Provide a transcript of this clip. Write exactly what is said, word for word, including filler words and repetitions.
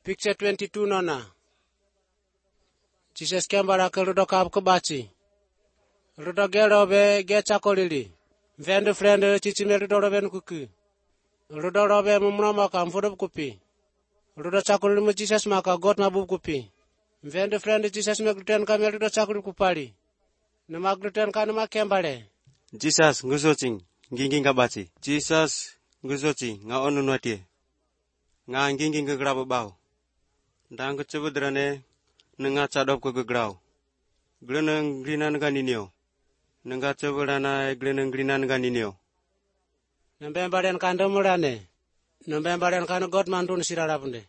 Picture twenty-two nona. Jesus kembara ke rudo kab kebaci. Rudo gero be ge chakolili. Vendu friend chichi me rudo roben kuku. Rudo robe mumno maka mfudo kupi. Rudo chakolili mu Jesus maka God mabu kupi. Vendu friend Jesus me gluten kamel rudo chakolili kupali. Nama gluten ka nama kembare. Jesus ngusoching nginging kabaci. Jesus ngusochi nga onu nuatie. Nga nginging ke grabo bau. Dang kecubudrane nenga cadop ke grau. Gleneng grinan ganinio. Nenga cebudana gleneng grinan ganinio. Nembembaren kandemurane. Nembembaren kan God mantun sirarapunde.